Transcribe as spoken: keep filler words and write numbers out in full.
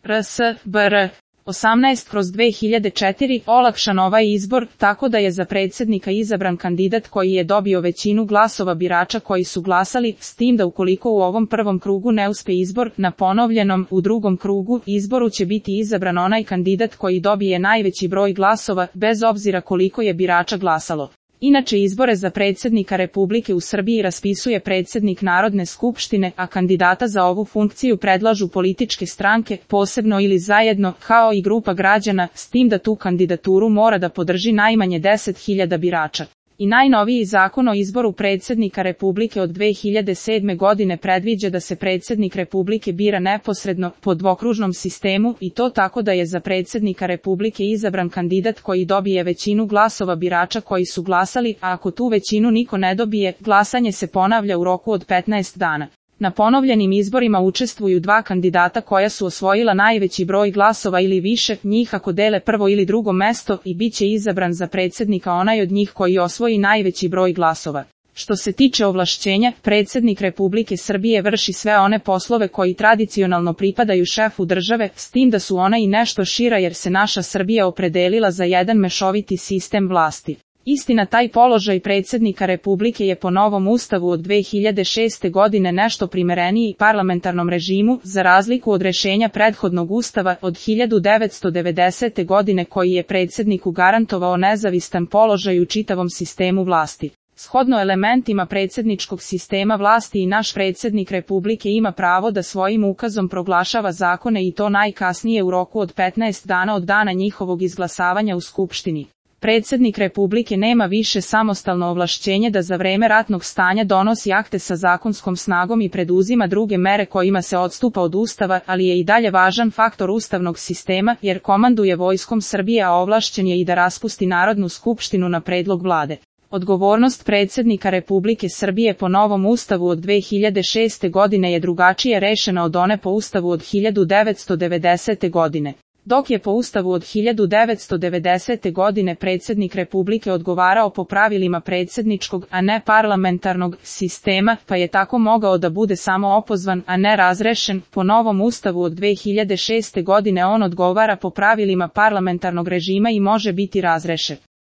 R S B R osamnaest kroz dve hiljade četiri olakšan ovaj izbor, tako da je za predsjednika izabran kandidat koji je dobio većinu glasova birača koji su glasali, s tim da ukoliko u ovom prvom krugu ne uspe izbor, na ponovljenom, u drugom krugu, izboru će biti izabran onaj kandidat koji dobije najveći broj glasova, bez obzira koliko je birača glasalo. Inače izbore za predsjednika Republike u Srbiji raspisuje predsjednik Narodne skupštine, a kandidata za ovu funkciju predlažu političke stranke, posebno ili zajedno, kao i grupa građana, s tim da tu kandidaturu mora da podrži najmanje deset hiljada birača. I najnoviji zakon o izboru predsjednika Republike od dve hiljade sedme godine predviđa da se predsjednik Republike bira neposredno, po dvokružnom sistemu, i to tako da je za predsjednika Republike izabran kandidat koji dobije većinu glasova birača koji su glasali, a ako tu većinu niko ne dobije, glasanje se ponavlja u roku od petnaest dana. Na ponovljenim izborima učestvuju dva kandidata koja su osvojila najveći broj glasova ili više njih ako dele prvo ili drugo mesto i bit će izabran za predsjednika onaj od njih koji osvoji najveći broj glasova. Što se tiče ovlašćenja, predsjednik Republike Srbije vrši sve one poslove koji tradicionalno pripadaju šefu države, s tim da su ona i nešto šira jer se naša Srbija opredelila za jedan mešoviti sistem vlasti. Istina, taj položaj predsjednika Republike je po novom ustavu od dve hiljade šeste godine nešto primereniji parlamentarnom režimu, za razliku od rešenja prethodnog ustava od hiljadu devetsto devedesete godine koji je predsjedniku garantovao nezavistan položaj u čitavom sistemu vlasti. Shodno elementima predsjedničkog sistema vlasti i naš predsjednik Republike ima pravo da svojim ukazom proglašava zakone i to najkasnije u roku od petnaest dana od dana njihovog izglasavanja u Skupštini. Predsjednik Republike nema više samostalno ovlašćenje da za vreme ratnog stanja donosi akte sa zakonskom snagom i preduzima druge mere kojima se odstupa od Ustava, ali je i dalje važan faktor ustavnog sistema jer komanduje vojskom Srbije, a ovlašćen je i da raspusti Narodnu skupštinu na predlog vlade. Odgovornost predsjednika Republike Srbije po novom ustavu od dve hiljade šeste godine je drugačije rešena od one po ustavu od hiljadu devetsto devedesete godine. Dok je po ustavu od hiljadu devetsto devedesete godine predsjednik Republike odgovarao po pravilima predsjedničkog, a ne parlamentarnog sistema, pa je tako mogao da bude samo opozvan, a ne razrešen, po novom ustavu od dve hiljade šeste godine on odgovara po pravilima parlamentarnog režima i može biti razrešen.